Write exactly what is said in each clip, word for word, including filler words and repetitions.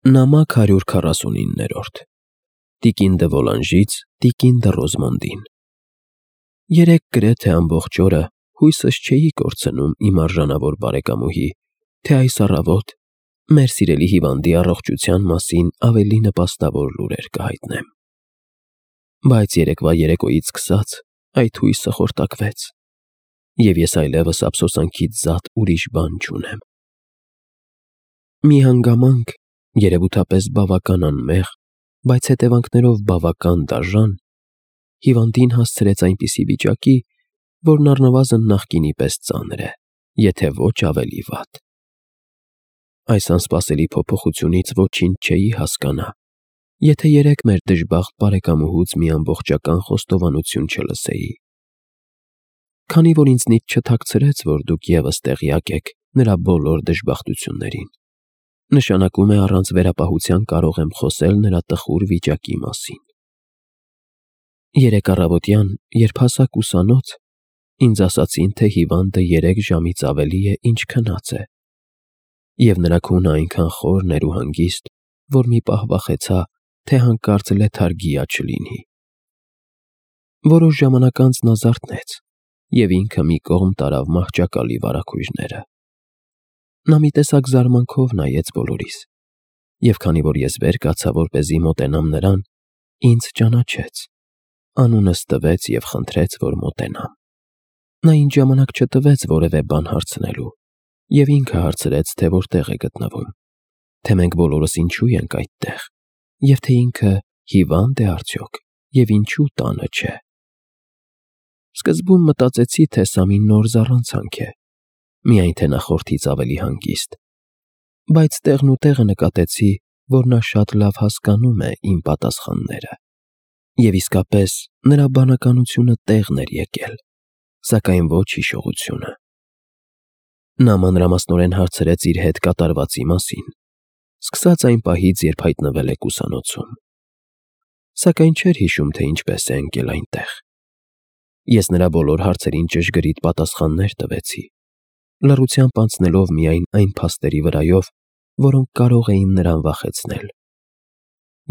Նամակ հարյուր քառասունիններորդ Տիկին դը Վոլանժից Տիկին դը Ռոզմոնդին Երեկ գրեթե ամբողջ օրը հույսս չէի կորցնում իմ արժանավոր բարեկամուհի, թե այս առավոտ մեր սիրելի հիվանդի առողջության մասին ավելի նպաստավոր լուրեր կհայտնեմ։ Բայց երեկվա երեկոյից սկսած այդ հույսը խորտակվեց, և ես այլևս ափսոսանքից զատ ուրիշ բան չունեմ։ Մի հանգամանք, երևութապես բավական անմեղ, բայց հետևանքներով բավական դաժան, հիվանդին հասցրեց այնպիսի վիճակի, որն առնվազն նախկինի պես ծանր է, եթե ոչ ավելի վատ։ Այս անսպասելի փոփոխությունից ոչինչ չէի հասկանա, եթե երեկ մեր դժբախտ բարեկամուհուց մի ամբողջական խոստովանություն չլսեի։ Քանի որ ինձնից չթաքցրեց, որ դուք ևս տեղյակ եք նրա բոլոր դժբախտություններին, նշանակում է առանց վերապահության կարող եմ խոսել նրա տխուր վիճակի մասին։ Երեկ առավոտյան, երբ հասա ուսանոց, ինձ ասացին, թե հիվանդը երեք ժամից ավելի է, ինչ քնած է, և նրա քունը այնքան խորն էր ու հանգիստ, որ մի պահ վախեցա, թե հանկարծ լեթարգիա չլինի։ Որոշ ժամանակ անց նա զարթնեց և ինքը մի կողմ տարավ մահճակալի վարագույրները։ Նա մի տեսակ զարմանքով նայեց բոլորիս, և քանի որ ես վեր կացա, որպեսզի մոտենամ նրան, ինձ ճանաչեց, անունս տվեց և խնդրեց, որ մոտենամ։ Նա ինձ ժամանակ չտվեց որևէ բան հարցնելու, և ինքը հարցրեց, թե որտեղ է գտնվում, թե մենք բոլորս ինչու ենք այդտեղ, և թե ինքը հիվա՞նդ է արդյոք, և ինչու տանը չէ։ Սկզբում մտածեցի, թե սա մի նոր զառանցանք է, միայն թե նախորդից ավելի հանգիստ, բայց տեղն ու տեղը նկատեցի, որ նա շատ լավ հասկանում է իմ պատասխանները, և իսկապես նրա բանականությունը տեղն էր եկել, սակայն ոչ հիշողությունը։ Նա մանրամասնորեն հարցրեց իր հետ կատարվածի մասին, սկսած այն պահից, երբ հայտնվել եք ուսանոցում, սակայն չէր հիշում, թե ինչպես է ընկել այնտեղ։ Ես նրա բոլոր հարցերին ճշգրիտ պատասխաններ տվեցի, լռությամբ անցնելով միայն այն փաստերի վրայով, որոնք կարող էին նրան վախեցնել։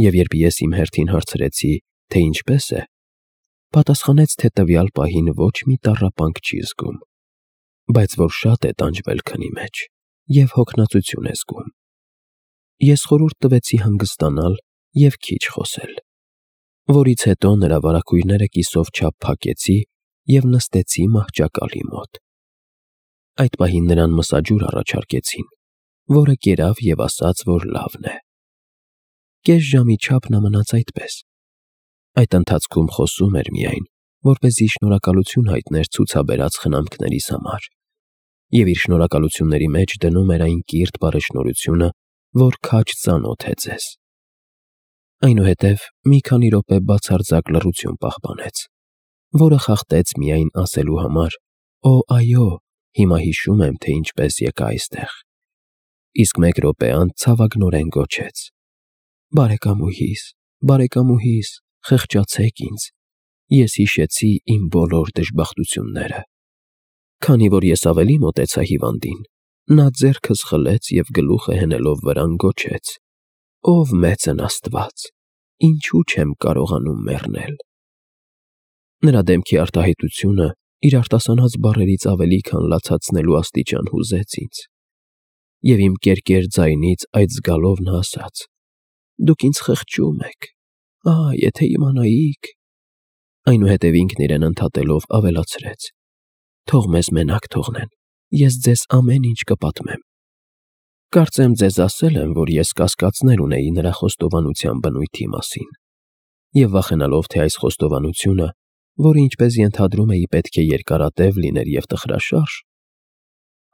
Եվ երբ ես իմ հերթին հարցրեցի, թե ինչպես է, պատասխանեց, թե տվյալ պահին ոչ մի տառապանք չի զգում, բայց որ շատ է տանջվել քնի մեջ և հոգնածություն է զգում։ Ես խորհուրդ տվեցի հանգստանալ և քիչ խոսել, որից հետո նրա վարագույրները կիսով չափ փակեցի և նստեցի մահճակալի մոտ։ Այդ պահին նրան մսաջուր առաջարկեցին, որը կերավ և ասաց, որ լավն է։ Կես ժամի չափ նա մնաց այդպես։ Այդ ընթացքում խոսում էր միայն, որպեսզի շնորհակալություն հայտներ ցուցաբերած խնամքներիս համար, և իր շնորհակալությունների մեջ դնում էր այն կիրթ բարեշնորհությունը, որ քաջ ծանոթ է ձեզ։ Այնուհետև մի քանի րոպե բացարձակ լռություն պահպանեց, որը խախտեց միայն ասելու համար. «Օ, այո, հիմա հիշում եմ, թե ինչպես եկա այստեղ», իսկ մեկ րոպե անց ցավագնորեն գոչեց. «Բարեկամուհիս, բարեկամուհիս, խղճացեք ինձ, ես հիշեցի իմ բոլոր դժբախտությունները»։ Քանի որ ես ավելի մոտեցա հիվանդին, նա ձեռքս խլեց և գլուխը հենելով վրան գոչեց. «Ով մեծն Աստված, ինչու չեմ կարողանում մեռնել»։ Նրա դեմքի արտահայտությունը իր արտասանած բառերից ավելի քան լացացնելու աստիճան հուզեց ինձ, և իմ կերկեր ձայնից այդ զգալով նա ասաց. «Դուք ինձ խղճում եք, ահ, եթե իմանայիք»։ Այնուհետև ինքն իրեն ընդհատելով ավելացրեց. «Թող մեզ մենակ թողնեն, ես ձեզ ամեն ինչ կպատմեմ»։ Կարծեմ ձեզ ասել եմ, որ ես կասկածներ ունեի նրա խոստովանության բնույթի մասին, և վախենալով, թե այս խոստովանությունը, որը ինչպես ենթադրում էի պետք է երկարատև լիներ և տխրաշարժ,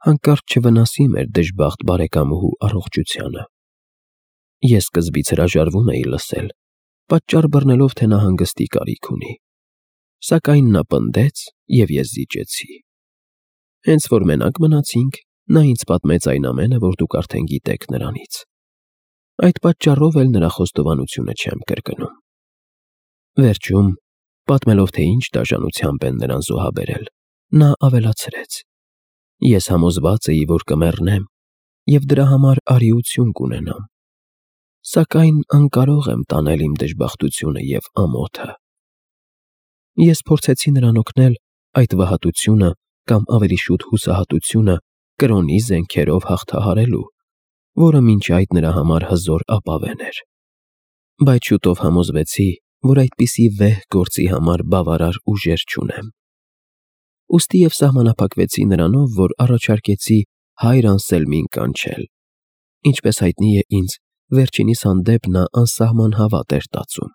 հանկարծ չվնասի մեր դժբախտ բարեկամուհու առողջությանը։ Ես սկզբից հրաժարվում էի լսել, պատճառ բռնելով, թե նա հանգստի կարիք ունի, սակայն նա պնդեց, և ես զիջեցի։ Հենց որ մենակ մնացինք, նա ինձ պատմեց այն ամենը, որ դուք արդեն գիտեք նրանից։ Այդ պատճառով էլ նրա խոստովանությունը չեմ կրկնում։ Վերջում, պատմելով, թե ինչ դաժանությամբ են նրան զոհաբերել, նա ավելացրեց. «Ես համոզված էի, որ կմեռնեմ, և դրա համար արիություն կունենամ, Սակայն անկարող եմ տանել իմ դժբախտությունը և ամոթը։ Ես փորձեցի նրան օգնել այդ վհատությունը կամ ավելի շուտ հուսահատությունը կրոնի զենքերով հաղթահարելու, որը մինչ այդ նրա համար հզոր ապավեն էր։ Բայց շուտով համոզվեցի, որ այդպիսի վեհ գործի համար բավարար ուժեր չունեմ։ Ուստի և սահմանափակվեցի նրանով, որ առաջարկեցի հայր Անսելմին կանչել։ Ինչպես հայտնի է ինձ, վերջինիս հանդեպ նա անսահման հավատ էր տածում։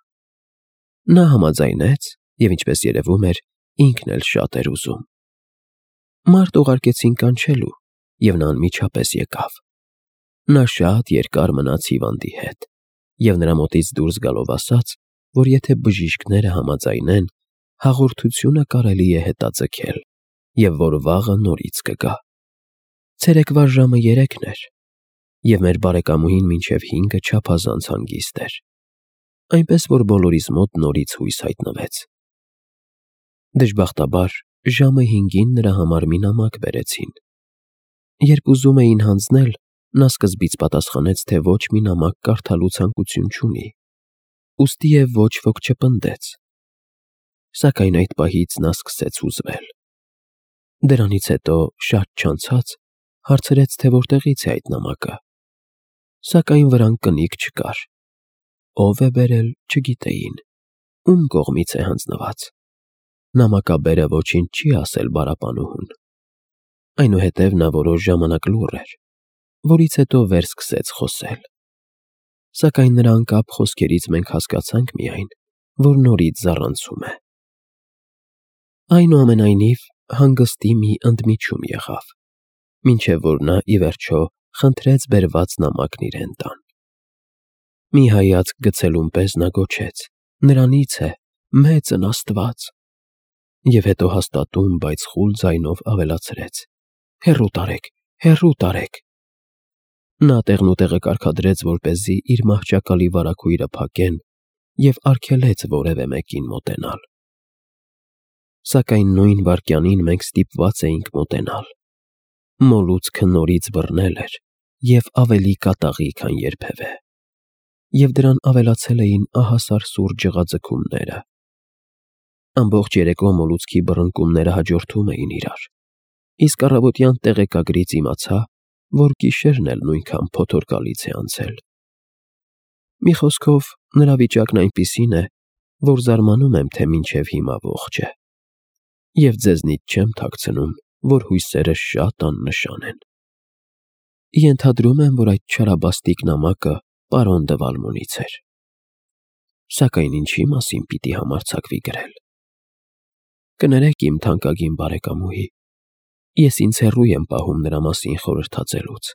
Նա համաձայնեց և, ինչպես երևում էր, ինքն էլ շատ էր ուզում։ Մարդ ուղարկեցին կանչելու, և նա անմիջապես եկավ։ Նա շատ երկար մնաց հիվանդի հետ և նրա մոտից դուրս գալով ասաց, որ եթե բժիշկները համաձայնեն, հաղորդությունը կարելի է հետաձգել և որ վաղը նորից կգա։ Ցերեկվա ժամը երեքն էր, և մեր բարեկամուհին մինչև հինգը չափազանց հանգիստ էր, այնպես որ բոլորիս մոտ նորից հույս հայտնվեց։ Դժբախտաբար, ժամը հինգին նրա համար մի նամակ բերեցին։ Երբ ուզում էին հանձնել, նա սկզբից պատասխանեց, թե ոչ մի նամակ կարդալու ցանկություն չունի, ուստիև ոչ ոք չպնդեց։ Սակայն այդ պահից նա սկսեց հուզվել։ Դրանից հետո, շատ չանցած, հարցրեց, թե որտեղից է այդ նամակը։ Սակայն վրան կնիկ չկար։ Ով է բերել, չգիտեին, ում կողմից է հանձնված։ Նամակաբերը ոչինչ չի ասել պարապանուհուն։ Այնուհետև նա որոշ ժամանակ լուռ էր, որից հետո վեր սկսեց խոսել։ Սակայն նրա անկապ խոսքերից մենք հասկացանք միայն, որ նորից զառանցում է։ Այնուամենայնիվ, հանգստի մի ընդմիջում եղավ, մինչև որ նա, ի վերջո, խնդրեց բերված նամակն իրեն տան։ Մի հայացք գցելուն պես նա գոչեց. «Նրանից է, մեծն Աստված», և հետո հաստատուն, բայց խուլ ձայնով ավելացրեց. «Հեռու տարեք, հեռու տարեք»։ Նա տեղնուտեղը կարգադրեց, որպեսզի իր մահճակալի վարագույրը փակեն, և արգելեց որևէ մեկին մոտենալ։ Սակայն նույն վայրկյանին մենք ստիպված էինք մոտենալ։ Մոլուցքը նորից բռնել էր և ավելի կատաղի, քան երբևէ։ Եվ դրան ավելացել էին ահասարսուռ ջղաձգումները։ Ամբողջ երեկո մոլուցքի բռնկումները հաջորդում էին իրար, իսկ առավոտյան տեղեկագրից իմացա, որ գիշերն էլ նույնքան փոթորկալից է անցել։ Մի խոսքով, նրա վիճակն այնպիսին է, որ զարմանում եմ, թե մինչև հիմա ողջ է։ Եվ ձեզնից չեմ թաքցնում, որ հույսերս շատ աննշան են։ Ենթադրում եմ, որ այդ չարաբաստիկ նամակը պարոն դը Վալմոնից էր։ Սակայն ինչի մասին պիտի համարձակվի գրել։ Կներեք, իմ թանկագին բարեկամուհի, ես ինձ հեռու եմ պահում նրա մասին խորհրդածելուց,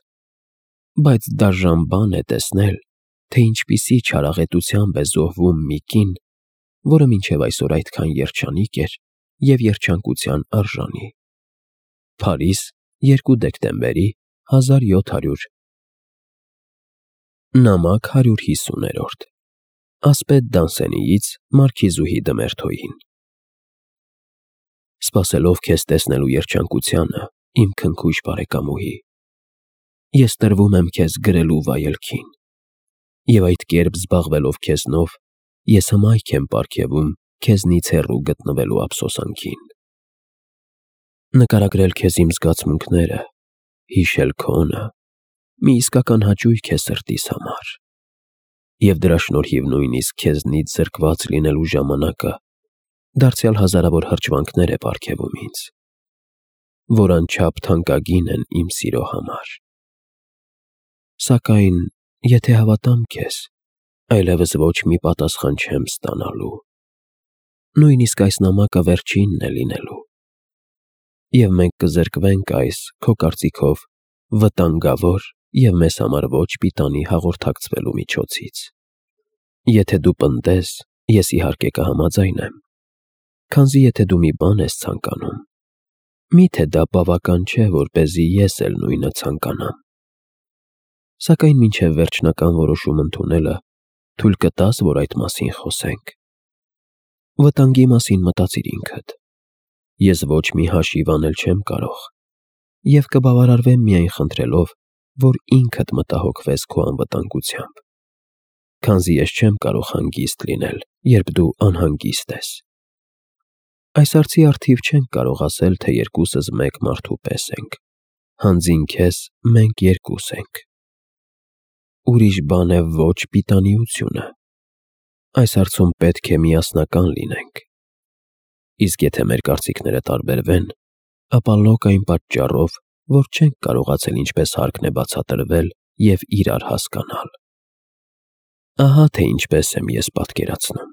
բայց դաժան բան է տեսնել, թե ինչպիսի չարաղետությամբ է զոհվում մի կին, որը մինչև այսօր այդքան երջանիկ էր և երջանկության արժանի։ Փարիզ, երկու դեկտեմբերի հազար յոթ հարյուր Նամակ հարյուր հիսուներորդ Ասպետ Դանսենիից մարքիզուհի Դմերթոյին։ Սպասելով քեզ տեսնելու երջանկությանը, իմ քնքուշ բարեկամուհի, ես տրվում եմ քեզ գրելու վայելքին, և այդ կերպ զբաղվելով քեզնով, ես հմայք եմ պարգևում քեզնից հեռու գտնվելու ափսոսանքին։ Նկարագրել քեզ իմ զգացմունքները, հիշել քոնը, մի իսկական հաճույք է սրտիս համար, և դրա շնորհիվ նույնիսկ քեզնից զրկված լինելու ժամանակը դարձյալ հազարավոր հրճվանքներ է պարգևում ինձ, որ անչափ թանկագին են իմ սիրո համար։ Սակայն, եթե հավատամ քեզ, այլևս ոչ մի պատասխան չեմ ստանալու։ Նույնիսկ այս նամակը վերջինն է լինելու։ Եվ մենք կզրկվենք այս, քո կարծիքով, վտանգավոր և մեզ համար ոչ պիտանի հաղորդակցվելու միջոցից։ Եթե դու պնդես, ես իհարկե կհամաձայնեմ, քանզի եթե դու մի բան ես ցանկանում, մի՞թե դա բավական չէ, որպեսզի ես էլ նույնը ցանկանամ։ Սակայն մինչև վերջնական որոշում ընդունելը թույլ կտա՞ս, որ այդ մասին խոսենք։ Վտանգի մասին մտածիր ինքդ։ Ես ոչ մի հաշիվ անել չեմ կարող, և կբավարարվեմ միայն խնդրելով, որ ինքդ մտահոգվես քո անվտանգությամբ։ քանզի ես չեմ կարող հանգիստ լինել, երբ դու անհանգիստ ես։ Այս հարցի առթիվ չենք կարող ասել, թե երկուսս մեկ մարդու պես ենք, հանձին քեզ մենք երկուս ենք։ Ուրիշ բան է ոչ պիտանիությունը։ Այս հարցում պետք է միասնական լինենք։ Իսկ եթե մեր կարծիքները տարբերվեն, ապա լոկ այն պատճառով, որ չենք կարողացել ինչպես հարկն է բացատրվել և իրար հասկանալ։ Ահա թե ինչպես եմ ես պատկերացնում։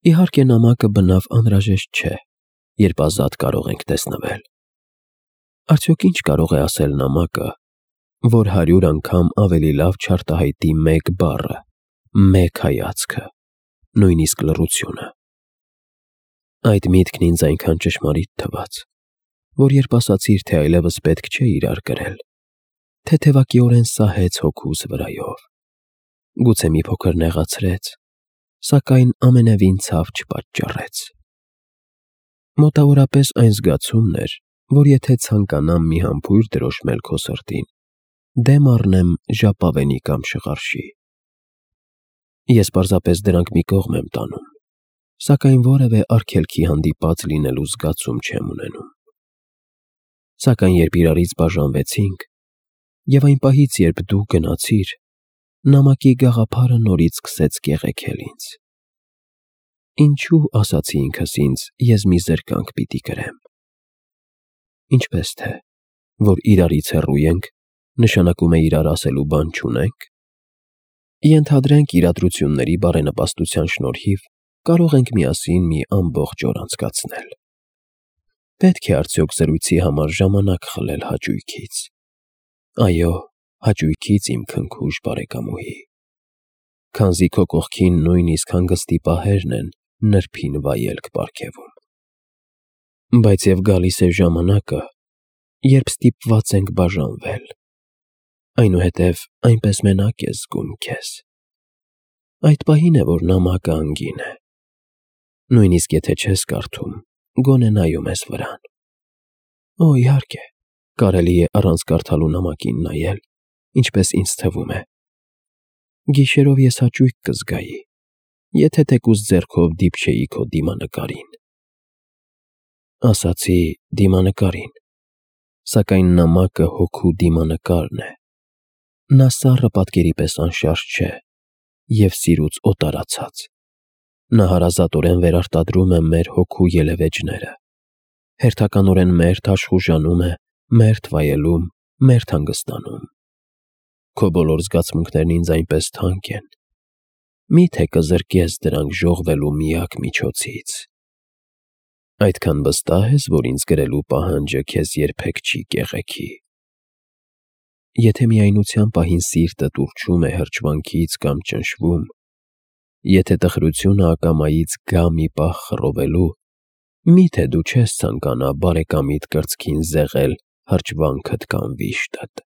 Իհարկե նամակը բնավ անհրաժեշտ չէ, երբ ազատ կարող ենք տեսնվել։ Արդյոք ինչ կարող է ասել նամակը, որ հարյուր անգամ ավելի լավ չարտահայտի մեկ բառը, մեկ հայացքը, նույնիսկ լռությունը։ Այդ միտքն ինձ այնքան ճշմարիտ թվաց, որ երբ ասացիր, թե այլևս պետք չէ իրար կրել, թեթևակիորեն սահեց հոգուս վրայով, գուցե մի փոքր նեղացրեց, սակայն ամենևին ցավ չպատճառեց։ Մոտավորապես այն զգացումն էր, որ եթե ցանկանամ մի համբույր դրոշմել քո սրտին, դեմ առնեմ ժապավենի կամ շղարշի։ Ես պարզապես դրանք մի կողմ եմ տանում, սակայն որևէ արգելքի հանդիպած լինելու զգացում չեմ ունենում։ Սակայն երբ իրարից բաժանվեցինք, և այն պահից, երբ դու գնացիր, նամակի գաղափարը նորից սկսեց կեղեքել ինձ։ Ինչու, ասացի ինքս ինձ, ես մի զրկանք պիտի կրեմ։ Ինչպես թե, որ իրարից հեռու ենք, նշանակում է իրար ասելու բան չունենք։ Ենթադրենք իրադրությունների բարենպաստության շնորհիվ կարող ենք միասին մի ամբողջ օր անցկացնել։ Պետք է արդյոք զրույցի համար ժամանակ խլել հաճույքից։ Այո, հաճույքից, իմ քնքուշ բարեկամուհի, քանզի քո կողքին նույնիսկ հանգստի պահերն են նրբին վայելք պարգևում։ Բայց և գալիս է ժամանակը, երբ ստիպված ենք բաժանվել, այնուհետև այնպես մենակ ես զգում քեզ։ Այդ պահին է, որ նամակը անգին է։ Նույնիսկ եթե չես կարդում, գոնե նայում ես վրան։ Օ, իհարկե, կարելի է առանց կարդալու նամակին նայել, ինչպես ինձ թվում է։ Գիշերով ես հաճույք կզգայի, եթե թեկուզ ձեռքով դիպչեի քո դիմանկարին։ Ասացի դիմանկարին, սակայն նամակը հոգու դիմանկարն է։ Նա սառը պատկերի պես անշարժ չէ և սիրուց օտարացած։ Նա հարազատորեն վերարտադրում է մեր հոգու ելևէջները, հերթականորեն մերթ աշխուժանում է, մերթ վայելում, մերթ հանգստանում։ Քո բոլոր զգացմունքներն ինձ այնպես թանկ են, մի՞թե կզրկես դրանք ժողվելու միակ միջոցից։ Այդքան վստահ ես, որ ինձ գրելու պահանջը քեզ երբեք չի կեղեքի։ Եթե միայնության պահին սիրտդ ուռչում է հրճվանքից կամ ճնշվում, եթե տխրությունը ակամայից գա մի պահ խռովելու, մի՞թե դու չես ցանկանա բարեկամիդ կրծքին զեղել հրճվանքդ կամ վիշտդ։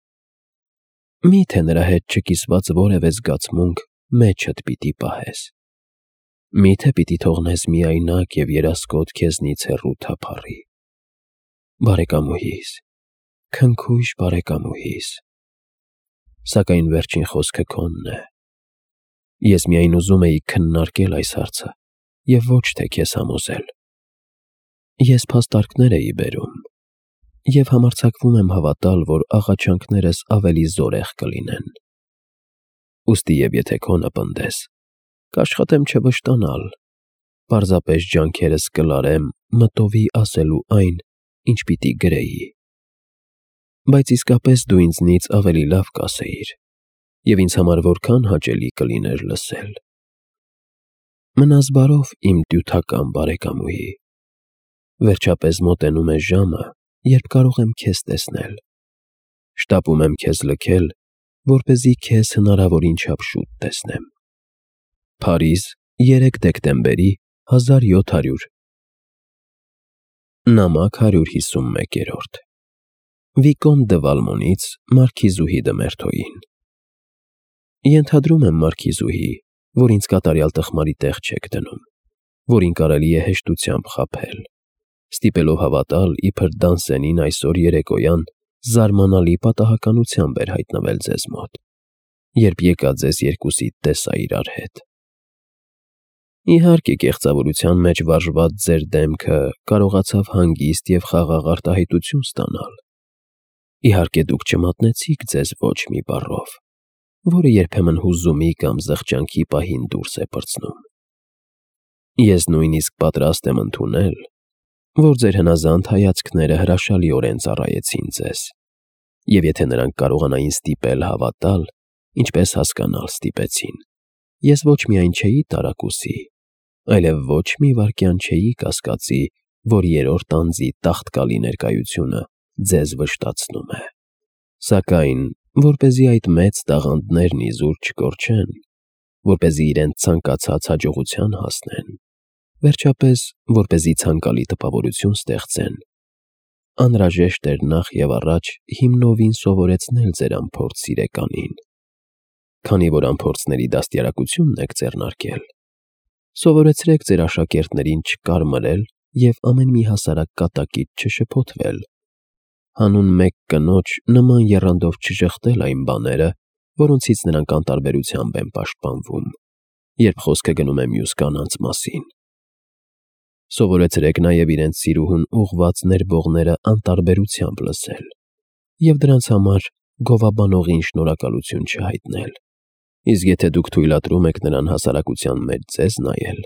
Մի՞թե նրա հետ չկիսված որևէ զգացմունք մեջդ պիտի պահես։ Մի՞թե պիտի թողնես միայնակ և երասկոտ քեզնից հեռու թափառի։ Բարեկամուհիս, քնքուշ բարեկամուհիս։ Սակայն վերջին խոսքը քոնն է։ Ես միայն ուզում էի քննարկել այս հարցը և ոչ թե քեզ համոզել։ Ես փաստարկներ էի բերում և համարձակվում եմ հավատալ, որ աղաչանքներս ավելի զորեղ կլինեն։ Ուստի և եթե քոնը պնդես, կաշխատեմ չվշտանալ, պարզապես ջանքերս կլարեմ մտովի ասելու այն, ինչ պիտի գրեի։ Բայց իսկապես դու ինձնից ավելի լավ կասեիր, և ինձ համար որքան հաճելի կլիներ լսել։ Մնաս բարով, իմ տյութական բարեկամուհի։ Վերջապես մոտենում է ժամը, երբ կարող եմ քեզ տեսնել։ Շտապում եմ քեզ լքել, որպեսզի քեզ հնարավորին չափ շուտ տեսնեմ։ Փարիզ, երեք դեկտեմբերի հազար յոթ հարյուր։ Նամակ հարյուր հիսունմեկ։ Վիկոն դը Վալմոնից մարքիզուհի դը Մերթոյին։ Ենթադրում եմ, մարքիզուհի, որ ինձ կատարյալ տխմարի տեղ չեք դնում, որին կարելի է հեշտությամբ խաբել, ստիպելով հավատալ, իբր Դանսենին այսօր երեկոյան զարմանալի պատահականությամբ էր հայտնվել ձեզ մոտ, երբ եկա ձեզ երկուսիդ տեսա իրար հետ։ Իհարկե, կեղծավորության մեջ վարժված ձեր դեմքը կարողացավ հանգիստ և խաղաղ արտահայտություն ստանալ։ Իհարկե, դուք չմատնեցիք ձեզ ոչ մի բառով, որը երբեմն հուզումի կամ զղջանքի պահին դուրս է պրծնում։ Ես նույնիսկ պատրաստ եմ ընդունել, որ ձեր հնազանդ հայացքները հրաշալիորեն ծառայեցին ձեզ, և եթե նրանք կարողանային ստիպել հավատալ, ինչպես հասկանալ ստիպեցին, ես ոչ միայն չէի տարակուսի, այլև ոչ մի վայրկյան չէի կասկածի, որ երրորդ անձի տաղտկալի ներկայությունը ձեզ վշտացնում է։ Սակայն, որպեսզի այդ մեծ տաղանդներն իզուր չկորչեն, որպեսզի իրենց ցանկացած հաջողության հասնեն, վերջապես, որպեսզի ցանկալի տպավորություն ստեղծեն, անհրաժեշտ էր նախ և առաջ հիմնովին սովորեցնել ձեր անփորձ սիրեկանին։ Քանի որ անփորձների դաստիարակությունն եք ձեռնարկել, սովորեցրեք ձեր աշակերտներին չկարմրել և ամեն մի հասարակ կատակից չշփոթվել, հանուն մեկ կնոջ նման եռանդով չժխտել այն բաները, որոնցից նրանք անտարբերությամբ են պաշտպանվում, երբ խոսքը գնում է մյուս կանանց մասին։ Սովորեցրեք նաև իրենց սիրուհուն ուղղված ներվողները անտարբերությամբ լսել և դրանց համար գովաբանողին շնորհակալություն չհայտնել, իսկ եթե դուք թույլատրում եք նրան հասարակության մեջ ձեզ նայել,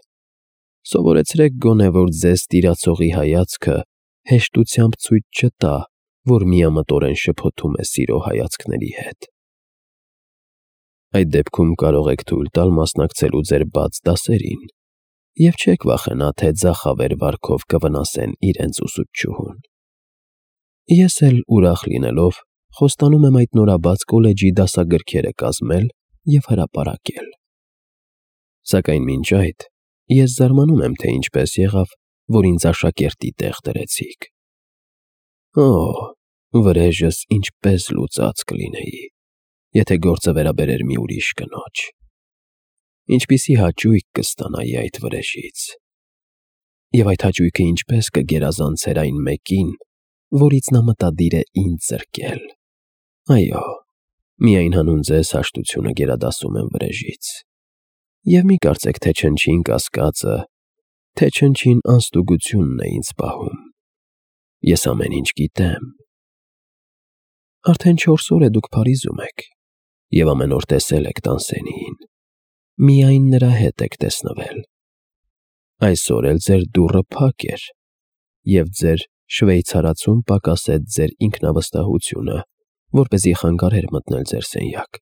սովորեցրեք գոնե, որ ձեզ տիրացողի հայացքը հեշտությամբ ցույց չտա, որ միամտորեն շփոթում է սիրո հայացքների հետ։ Այդ դեպքում կարող եք թույլ տալ մասնակցելու ձեր բաց դասերին և չեք վախենա, թե ձախավեր վարքով կվնասեն իրենց ուսուցչուհուն։ Ես էլ ուրախ լինելով խոստանում եմ այդ նորաբաց կոլեջի դասագրքերը կազմել և հրապարակել։ Սակայն մինչ այդ ես զարմանում եմ, թե ինչպես եղավ, որ ինձ աշակերտի տեղ դրեցիք։ Օ՜, վրեժս ինչպես լուծած կլինեի, եթե գործը վերաբերեր մի ուրիշ կնոջ։ Ինչպիսի հաճույք կստանայի այդ վրեժից։ Եվ այդ հաճույքը ինչպես կգերազանցեր այն մեկին, որից նա մտադիր է ինձ զրկել։ Այո, միայն հանուն ձեզ հաշտությունը գերադասում եմ վրեժից։ Եվ մի կարծեք, թե չնչին կասկածը, թե չնչին անստուգությունն է ինձ պահում։ Ես ամեն ինչ գիտեմ։ Արդեն չորս օր է դուք Փարիզում եք և ամեն օր տեսել եք Տանսենիին, միայն նրա հետ եք տեսնվել։ Այսօր էլ ձեր դուռը փակ էր, և ձեր շվեյցարացուն պակասեց ձեր ինքնավստահությունը, որպեսզի խանգարեր մտնել ձեր սենյակ։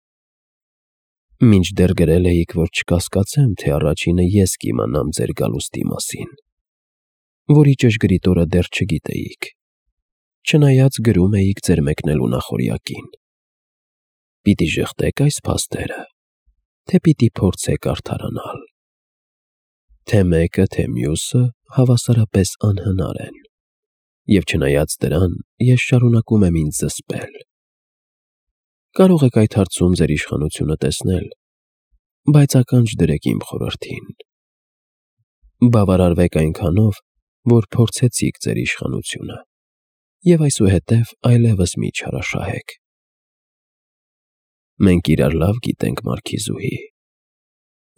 Մինչդեռ գրել էիք, որ չկասկածեմ, թե առաջինը ես կիմանամ ձեր գալուստի մասին, որի ճշգրիտ օրը դեռ չգիտեիք, չնայած գրում էիք ձեր մեկնելու նախօրյակին։ Պիտի ժխտեք այս փաստերը, թե պիտի փորձեք արդարանալ։ Թե մեկը, թե մյուսը հավասարապես անհնար են, և չնայած դրան, ես շարունակում եմ ինձ զսպել։ Կարող եք այդ հարցում ձեր իշխանությունը տեսնել, բայց ականջ դրեք իմ խորհրդին։ Բավարարվեք այնքանով, որ փորձեցիք ձեր իշխանությունը, և այսուհետև այլևս մի չարաշահեք։ Մենք իրար լավ գիտենք, Մարքիզուհի։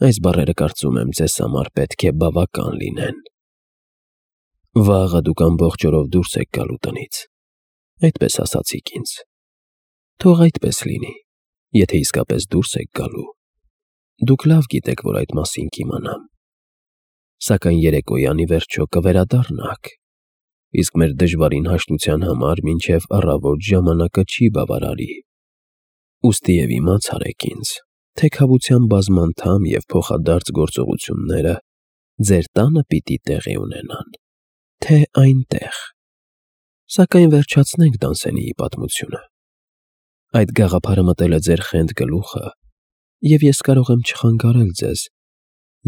Այս բառերը, կարծում եմ, ձեզ համար պետք է բավական լինեն։ Վաղը դուք ամբողջ օրով դուրս եք գալու տնից, այդպես ասացիք ինձ։ Թող այդպես լինի, եթե իսկապես դուրս եք գալու։ Դուք լավ գիտեք, որ այդ մասին կիմանամ։ Սակայն երեկոյան ի վերջո կվերադառնաք, իսկ մեր դժվարին հաշտության համար մինչև առավոտ ժամանակը չի բավարարի։ Ուստի և իմացարեք ինձ, թե քավության բազմանդամ և փոխադարձ գործողությունները ձեր տանը պիտի տեղի ունենան, թե այնտեղ։ Սակայն վերջացնենք Տանսենիի պատմությունը։ Այդ գաղափարը մտել է ձեր խենթ գլուխը, և ես կարող եմ չխանգարել ձեզ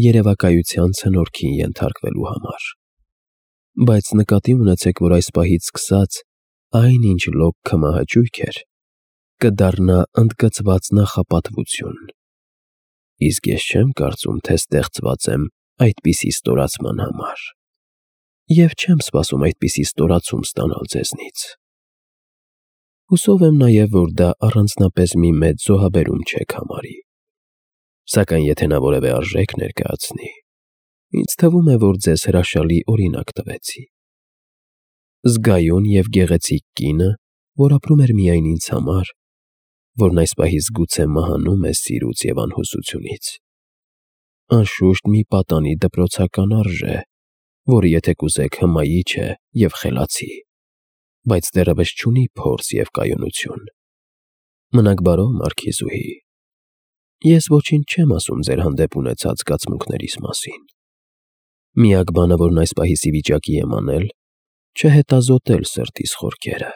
երևակայության ցնորքին ենթարկվելու համար։ Բայց նկատի ունեցեք, որ այս պահից սկսած այն, ինչ լոկ քմահաճույք էր, կդառնա ընդգծված նախապատվություն։ Իսկ ես չեմ կարծում, թե ստեղծված եմ այդպիսի ստորացման համար, և չեմ սպասում այդպիսի ստորացում ստանալ ձեզնից։ Հուսով եմ նաև, որ դա առանձնապես մի մեծ զոհաբերում չեք համարի։ Սակայն եթե նա որևէ արժեք ներկայացնի, ինձ թվում է, որ ձեզ հրաշալի օրինակ տվեցի։ Զգայուն և գեղեցիկ կինը, որ ապրում էր միայն ինձ համար, որն այս պահից գուցե մահանում է սիրուց և անհուսությունից։ Անշուշտ մի պատանի դպրոցական արժ է, որը եթե կուզեք հմայիչ է և խելացի, բայց դեռևս չունի փորձ և կայունություն։ Մնաք բարով, Մարքիզուհի, ես ոչինչ չեմ ասում ձեր հանդեպ ունեցած զգացմունքներիս մասին։ Միակ բանը, որն այս պահից ի վիճակի եմ անել, չհետազոտել սրտիս խորքերը։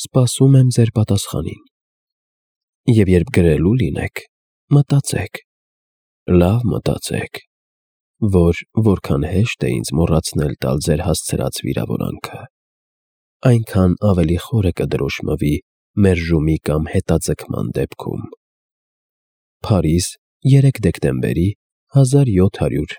Սպասում եմ ձեր պատասխանին։ Եվ երբ գրելու լինեք, մտածեք, լավ մտածեք, որ որքան հեշտ է ինձ մոռացնել տալ ձեր հասցրած վիրավորանքը, այնքան ավելի խորը կդրոշմվի մերժումի կամ հետաձգման դեպքում։ Փարիզ, երեք դեկտեմբերի հազար յոթ հարյուր